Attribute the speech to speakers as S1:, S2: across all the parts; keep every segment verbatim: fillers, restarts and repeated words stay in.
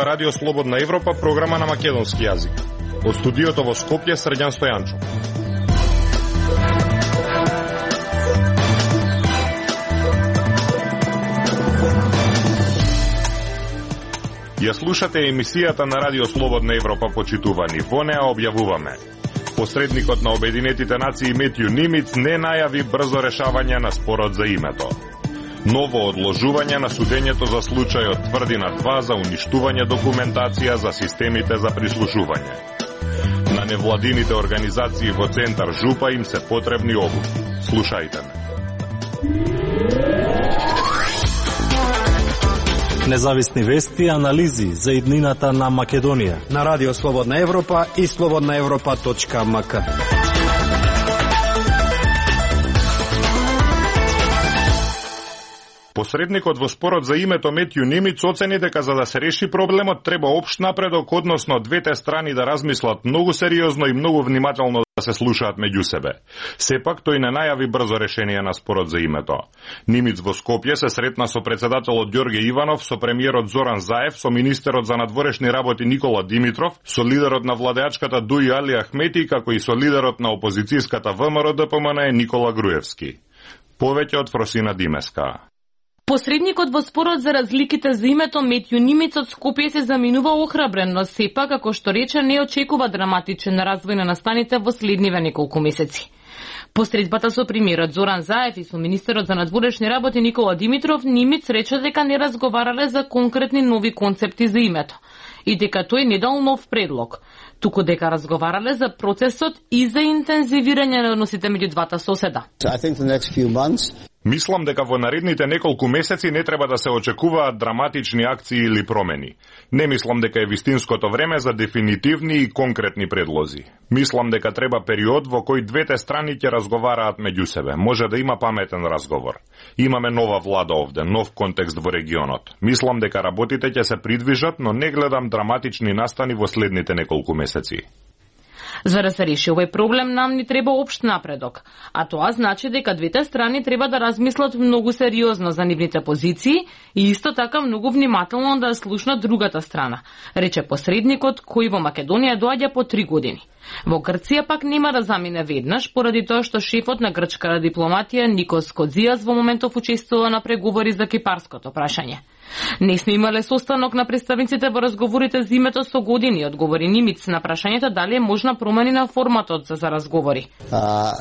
S1: Ова Радио Слободна Европа, програма на македонски јазик. Од студиото во Скопје, Срđan Стојанчо. Ја слушате емисијата на Радио Слободна Европа, почитувани. Во неа објавуваме: посредникот на Обединетите нации Метју Нимиц не најави брзо решавање на спорот за името. Ново одложување на судењето за случајот Тврдина два за уништување документација за системите за прислушување. На невладините организации во центар Жупа им се потребни обуки. Слушајте ме.
S2: Независни вести и анализи за иднината на Македонија
S3: на Радио Слободна Европа и слободна европа точка ем ка.
S1: Посредникот во спорот за името Метју Нимиц оцени дека за да се реши проблемот треба општ напредок, односно двете страни да размислат многу сериозно и многу внимателно да се слушаат меѓу себе. Сепак тој не најави брзо решение на спорот за името. Нимиц во Скопје се сретна со председателот Ѓорѓе Иванов, со премиерот Зоран Заев, со министерот за надворешни работи Никола Димитров, со лидерот на владеачката Дуи Али Ахмети, како и со лидерот на опозицијската ВМРО Д П М Н Никола Груевски. Повеќе од Фросина Димеска.
S4: Посредникот во спорот за разликите за името Метју Нимиц од Скопје се заминува охрабрен, но сепак, како што рече, не очекува драматичен развој на настаните во следниве неколку месеци. Посредбата со премиерот Зоран Заев и со министерот за надворешни работи Никола Димитров, Нимиц рече дека не разговарале за конкретни нови концепти за името и дека тој не дал нов предлог, туку дека разговарале за процесот и за интензивирање на односите меѓу двата соседа.
S1: Мислам дека во наредните неколку месеци не треба да се очекуваат драматични акции или промени. Не мислам дека е вистинското време за дефинитивни и конкретни предлози. Мислам дека треба период во кој двете страни ќе разговараат меѓу себе. Може да има паметен разговор. Имаме нова влада овде, нов контекст во регионот. Мислам дека работите ќе се придвижат, но не гледам драматични настани во следните неколку месеци.
S4: За да се реши овој проблем, нам ни треба општ напредок, а тоа значи дека двете страни треба да размислат многу сериозно за нивните позиции и исто така многу внимателно да слушнат другата страна, рече посредникот кој во Македонија доаѓа по три години. Во Грција пак нема да замине веднаш, поради тоа што шефот на грчката дипломатија Никос Кодзијас во моментов учествува на преговори за кипарското прашање. Не сме имале состанок на представниците во разговорите за името со години, одговори Нимиц на прашањето дали е можна промени на форматот за разговори.
S1: Uh,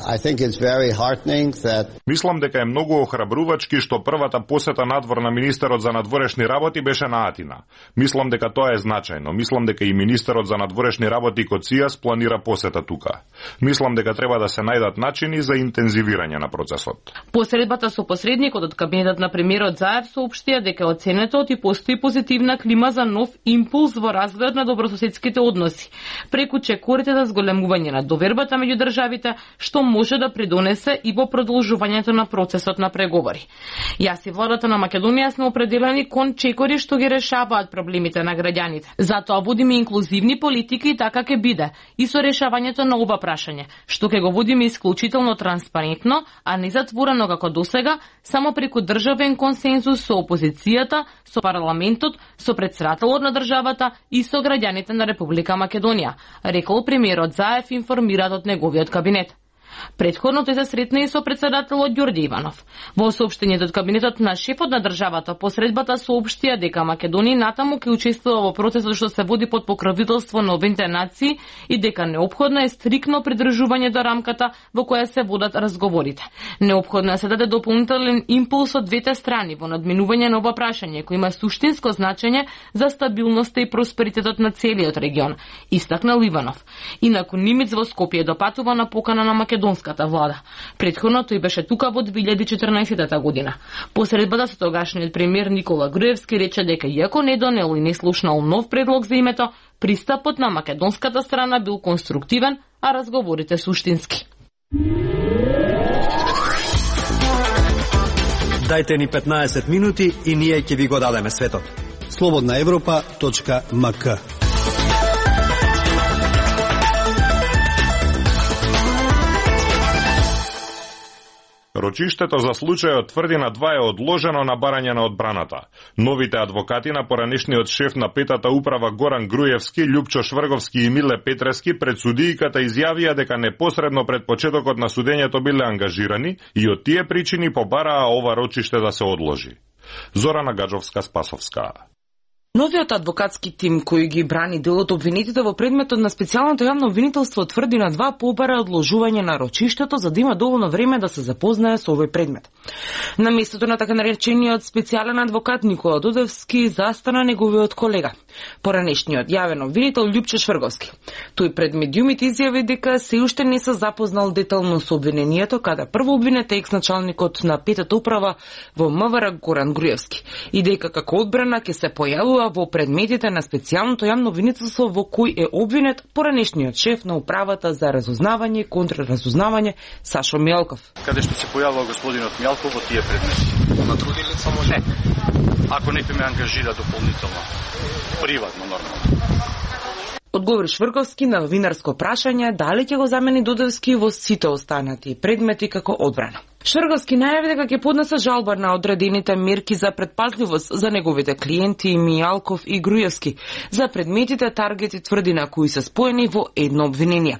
S1: that... Мислам дека е многу охрабрувачки што првата посета надвор на министерот за надворешни работи беше на Атина. Мислам дека тоа е значајно. Мислам дека и министерот за надворешни работи Коцијас планира посета тука. Мислам дека треба да се најдат начини за интензивирање на процесот.
S4: Посредбата со посредникот од кабинетот на премиерот Заев соопштија дека оценетот и постои позитивна клима за нов импулс во развојот на добрососедските односи, преку чекорите за зголемување на довербата меѓу државите, што може да придонесе и во продолжувањето на процесот на преговори. Јас и владата на Македонија сме определени кон чекори што ги решаваат проблемите на граѓаните. Затоа водиме инклузивни политики и така ќе биде и со решавањето на ова прашање, што ќе го водиме исклучително транспарентно, а не затворено како досега, само преку државен консензус со опозицијата, со парламентот, со претседателот на државата и со граѓаните на Република Македонија, рекол премиерот Заев, информират од неговиот кабинет. Предходно тој се сретна и со претседателот Ѓорѓе Иванов. Во соопштењето од кабинетот на шефот на државата, посредбата соопштија дека Македонија натаму ќе учествува во процесот што се води под покровителство на Обединетите нации и дека неопходно е стрикно придржување до рамката во која се водат разговорите. Неопходно е се даде дополнителен импулс од двете страни во надминување на ова прашање кој има суштинско значење за стабилноста и просперитетот на целиот регион, истакнал Иванов. Инаку Нимиц во Скопје допатува на покана на македонската влада. Предходно тој беше тука во две илјади и четрнаесетта година. Посредбата со тогашниот премиер Никола Груевски рече дека иако не донел и не слушнал нов предлог за името, пристапот на македонската страна бил конструктивен, а разговорите суштински.
S3: Дајте ни петнаесет минути и ние ќе ви го дадеме светот. слободна европа точка ем ка.
S1: Рочиштето за случајот Тврдина два е одложено на барање на одбраната. Новите адвокати на поранешниот шеф на петата управа Горан Груевски, Љупчо Шврговски и Миле Петрески пред судијката изјавија дека непосредно пред почетокот на судењето биле ангажирани и од тие причини побараа ова рочиште да се одложи. Зорана Гаджовска-Спасовска.
S4: Новиот адвокатски тим кој ги брани делот обвинетите во предметот на специјалното јавно обвинителство Тврдина два побара одложување на рочиштето за да има доволно време да се запознае со овој предмет. На местото на така наречениот специјален адвокат Никола Дудевски застана неговиот колега, поранешниот јавен обвинител Љупчо Шврговски. Тој пред медиумите изјави дека се уште не се запознал детално со обвинението, каде прво обвинет е екс-началникот на петата управа во МВР Горан Груевски и дека како одбрана ќе се појавува во предметите на специјалното јавно обвинителство во кој е обвинет поранешниот шеф на управата за разузнавање и контраразузнавање Сашо Мјалков.
S5: Каде што се појавува господинот Мјалков во тие предмети? На други лица може? Не. Ако некој ме ангажира дополнително, приватно нормално.
S4: Одговори Шврговски на новинарско прашање дали ќе го замени Дудевски во сите останати предмети како одбрана. Шврговски најави дека ќе поднесе жалба на одредените мерки за предпазливост за неговите клиенти Мијалков и Груевски за предметите таргети Тврдина кои се споени во едно обвинение.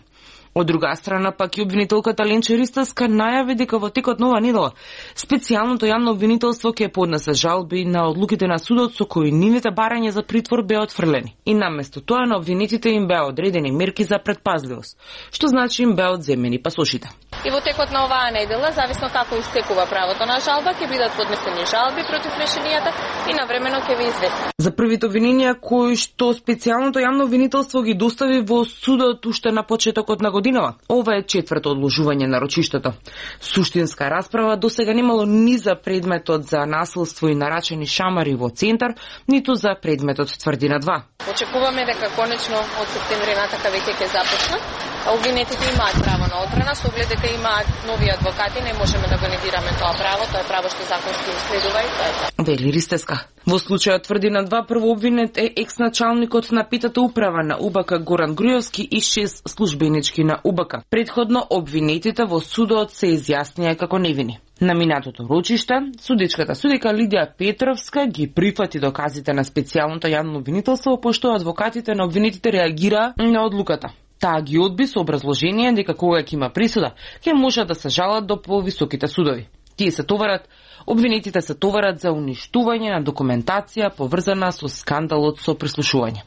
S4: Од друга страна пак и обвинителката Ленче Ристовска најави дека во текот на ова недела специјалното јавно обвинителство ќе поднесе жалби на одлуките на судот со кои нивните барања за притвор беа отфрлени. И наместо тоа на обвинетите им беа одредени мерки за предпазливост, што значи им беа одземени пасошите.
S6: И во текот на оваа недела, зависно како истекува правото на жалба, ќе бидат поднесени жалби против решенијата и навремено ќе ви известим.
S4: За првите обвиненија кои што специјалното јавно обвинителство ги достави во судот уште на почетокот на годинава, ова е четврто одложување на рочиштето. Суштинска расправа досега немало ни за предметот за насилство и нарачени шамари во центар, ниту за предметот Тврдина два.
S6: Очекуваме дека конечно од септември натака веќе ќе започнат. Обвинетите имаат право на одбрана, со оглед дека имаат нови адвокати, не можеме да го негираме тоа право, тоа е право што законски им следува и тоа е тоа.
S4: Вели Ристеска. Во случајот Тврдина два прво обвинет е екс-началникот на петата управа на УБК Горан Груевски и шест службенички на УБК. Предходно обвинетите во судот се изјаснија како невини. На минатото рочиште, судичката судика Лидија Петровска ги прифати доказите на специјалното јавно обвинителство, пошто адвокатите на обвинетите реагираа на одлуката. Таа ги одби со образложение дека кога ќе има присуда, ќе можат да се жалат до повисоките судови. Тие се товарат, обвинетите се товарат за уништување на документација поврзана со скандалот со прислушување.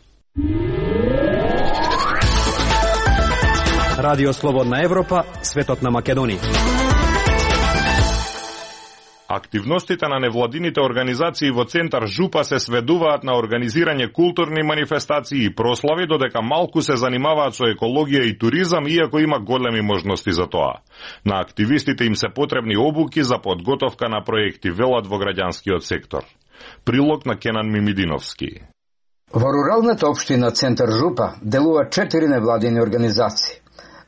S3: Радио Слободна Европа, светот на Македонија.
S1: Активностите на невладините организации во центар Жупа се сведуваат на организирање културни манифестации и прослави, додека малку се занимаваат со екологија и туризам, иако има големи можности за тоа. На активистите им се потребни обуки за подготовка на проекти, велат во граѓанскиот сектор. Прилог на Кенан Мимидиновски.
S7: Во руралната општина Центар Жупа делува четири невладини организации,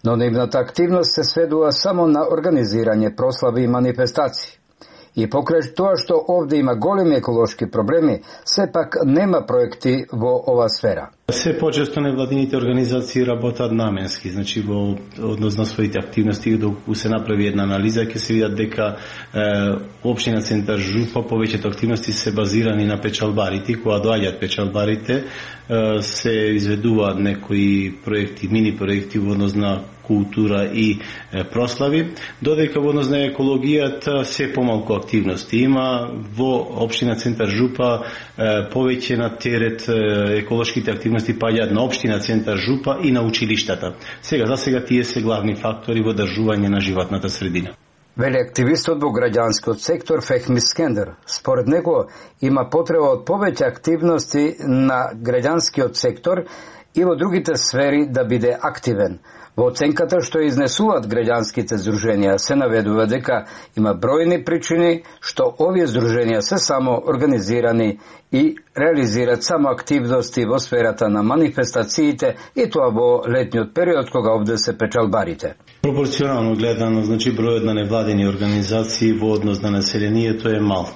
S7: но нивната активност се сведува само на организирање прослави и манифестации. И покрај тоа што овде има големи еколошки проблеми, сепак нема проекти во ова сфера.
S8: Се почесто невладините организации работат наменски, значи во однос на своите активности, доколку се направи една анализа, ќе се видат дека е, општина Центар Жупа повеќето активности се базирани на печалбарите, кога доаѓаат печалбарите, е, се изведуваат некои проекти, мини проекти во однос на култура и е, прослави, додека во однос на екологијата се помалку активности има. Во општина Центар Жупа е, повеќе на терет е, еколошките активности паѓаат на општина Центар Жупа и на училиштата. Сега за сега тие се главни фактори во одржување на животната средина.
S7: Вели активистот во граѓанскиот сектор Фехми Скендер. Според него има потреба од повеќе активности на граѓанскиот сектор и во другите сфери да биде активен. Во оценката што изнесуваат граѓанските здруженија се наведува дека има бројни причини што овие здруженија се само организирани и реализираат само активности во сферата на манифестациите и тоа во летниот период кога овде се печалбарите.
S8: Пропорционално гледано, значи бројот на невладени организации во однос на населението е мал.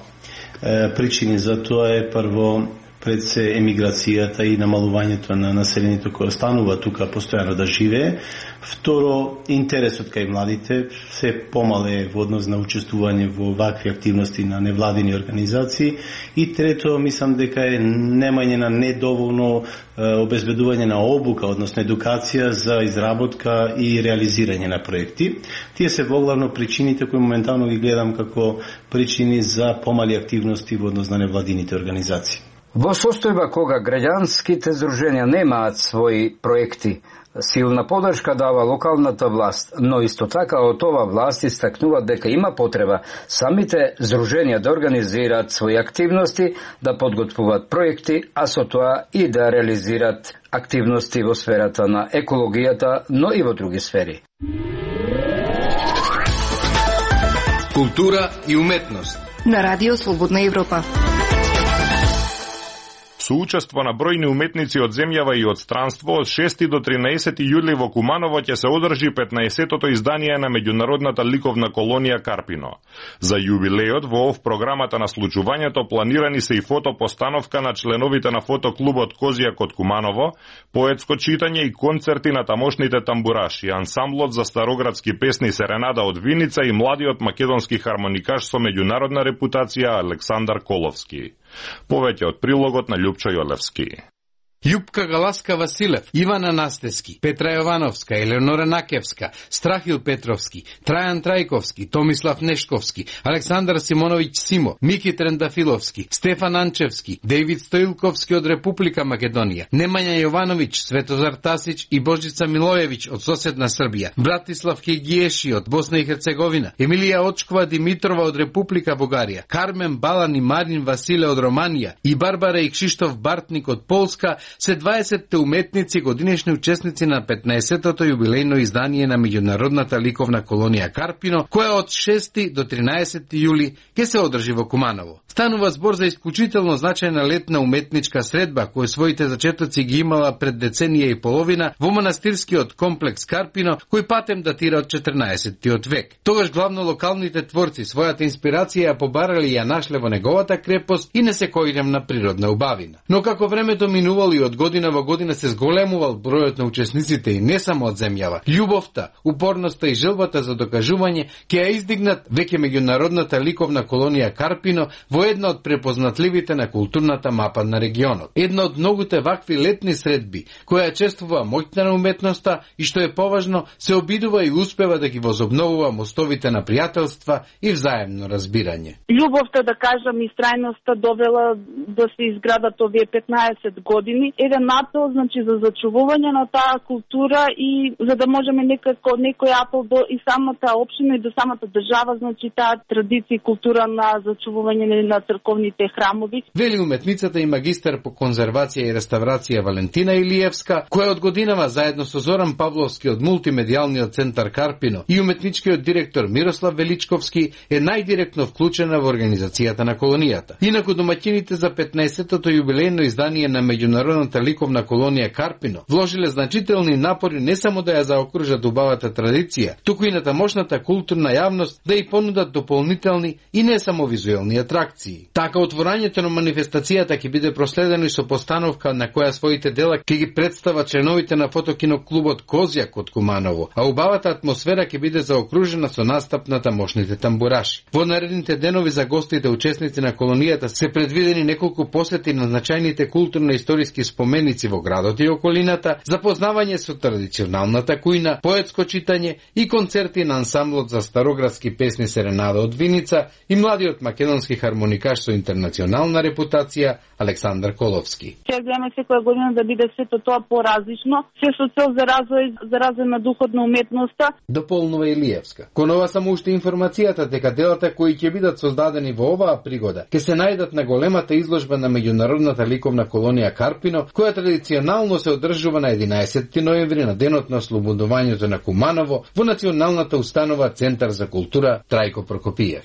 S8: Е, причини за тоа е прво пред се емиграцијата и намалувањето на населението кое останува тука постојано да живее. Второ, интересот кај младите се помале во однос на учествување во вакви активности на невладини организации. И трето, мислам дека е немање на недоволно обезбедување на обука, односно едукација за изработка и реализирање на проекти. Тие се воглавно причините кои моментално ги гледам како причини за помали активности во однос на невладините организации.
S7: Во состојба кога граѓанските здруженија немаат своји проекти, силна подршка дава локалната власт, но исто така од ова власт истакнуваат дека има потреба самите здруженија да организираат своји активности, да подготвуваат проекти, а со тоа и да реализираат активности во сферата на екологијата, но и во други сфери.
S9: Култура и уметност
S10: на Радио Слободна Европа.
S1: Со учество на бројни уметници од земјава и од странство, од шести до тринаесети јули во Куманово ќе се одржи петнаесеттото издание на меѓународната ликовна колонија Карпино. За јубилејот во ов програмата на случувањето планирани се и фотопостановка на членовите на фотоклубот Козијак од Куманово, поетско читање и концерти на тамошните тамбураши, ансамблот за староградски песни Серенада од Виница и младиот македонски хармоникаш со меѓународна репутација Александар Коловски. Повеќе од прилогот на Љупчо Јолевски.
S11: Јупка Галаска Василев, Ивана Настески, Петра Јовановска, Елеонора Накевска, Страхил Петровски, Трајан Трајковски, Томислав Нешковски, Александар Симоновиќ Симо, Мики Трендафиловски, Стефан Анчевски, Дејвид Стоилковски од Република Македонија, Немања Јовановиќ, Светозар Тасиќ и Божица Милојевиќ од соседна Србија, Братислав Хегиеши од Босна и Херцеговина, Емилија Очкова Димитрова од Република Бугарија, Кармен Балан и Марин Василе од Романија и Барбара и Кшиштоф Бартник од Полска се дваесетте уметници годинешни учесници на петнаесеттото јубилејно издание на меѓународната ликовна колонија Карпино, која од шести до тринаесети јули ќе се одржи во Куманово. Станува збор за исклучително значајна летна уметничка средба, која своите зачетоци ги имала пред деценија и половина во манастирскиот комплекс Карпино, кој патем датира од четрнаесеттиот век. Тогаш главно локалните творци својата инспирација ја побарали и ја нашле во неговата крепост и несекојдневна природна убавина. Но како времето минувало и од година во година се зголемувал бројот на учесниците и не само од земјава, љубовта, упорноста и желбата за докажување ќе ја издигнат веќе меѓународната ликовна колонија Карпино во една од препознатливите на културната мапа на регионот. Една од многуте вакви летни средби, која чествува моќта на уметноста и што е поважно, се обидува и успева да ги возобновува мостовите на пријателства и взаемно разбирање.
S12: Љубовта, да кажам, и страјноста довела да се изградат овие петнаесет години, еден апел, значи, за зачувување на таа култура и за да можеме некако некој апел до и самата општина и до самата држава, значи таа традиција и култура на зачувување на црковните храмови.
S11: Вели уметницата и магистар по конзервација и реставрација Валентина Илиевска, која од годинава заедно со Зоран Павловски од мултимедијалниот центар Карпино и уметничкиот директор Мирослав Величковски е најдиректно вклучена во организацијата на колонијата. Инаку домаќините за петнаесеттото јубилејно издание на меѓународната ликовна колонија Карпино вложиле значителни напори не само да ја заокружат убавата традиција, туку и на тамошната културна јавност да ја понудат дополнителни и не само визуелни атракции. Така отворањето на манифестацијата ќе биде проследено и со постановка на која своите дела ќе ги представат членовите на фотокиноклубот Козијак од Куманово, а убавата атмосфера ќе биде заокружена со настап на тамошните тамбураши. Во наредните денови за гостите учесници на колонијата се предвидени неколку посети на значајните културно-историски споменици во градот и околината, запознавање со традиционалната кујна, поетско читање и концерти на ансамблот за староградски песни Серенада од Виница и младиот македонски хармоникаш со интернационална репутација Александар Коловски.
S12: Ќе гледаме секоја година да биде сето тоа поразлично, се со цел за развој, за развој на духот на уметноста.
S11: Дополнува Илиевска. Кон ова само уште информацијата дека делата кои ќе бидат создадени во оваа пригода ќе се најдат на големата изложба на меѓународната ликовна колонија Карпино, која традиционално се одржува на единаесетти ноември на денот на ослободувањето на Куманово во Националната установа Центар за култура Трајко Прокопиев.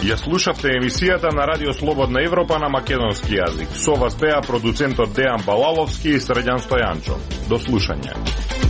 S1: Ја слушавте емисијата на Радио Слободна Европа на македонски јазик. Со вас беа продуцентот Дејан Балаловски и Срđan Стојанчов. До слушање.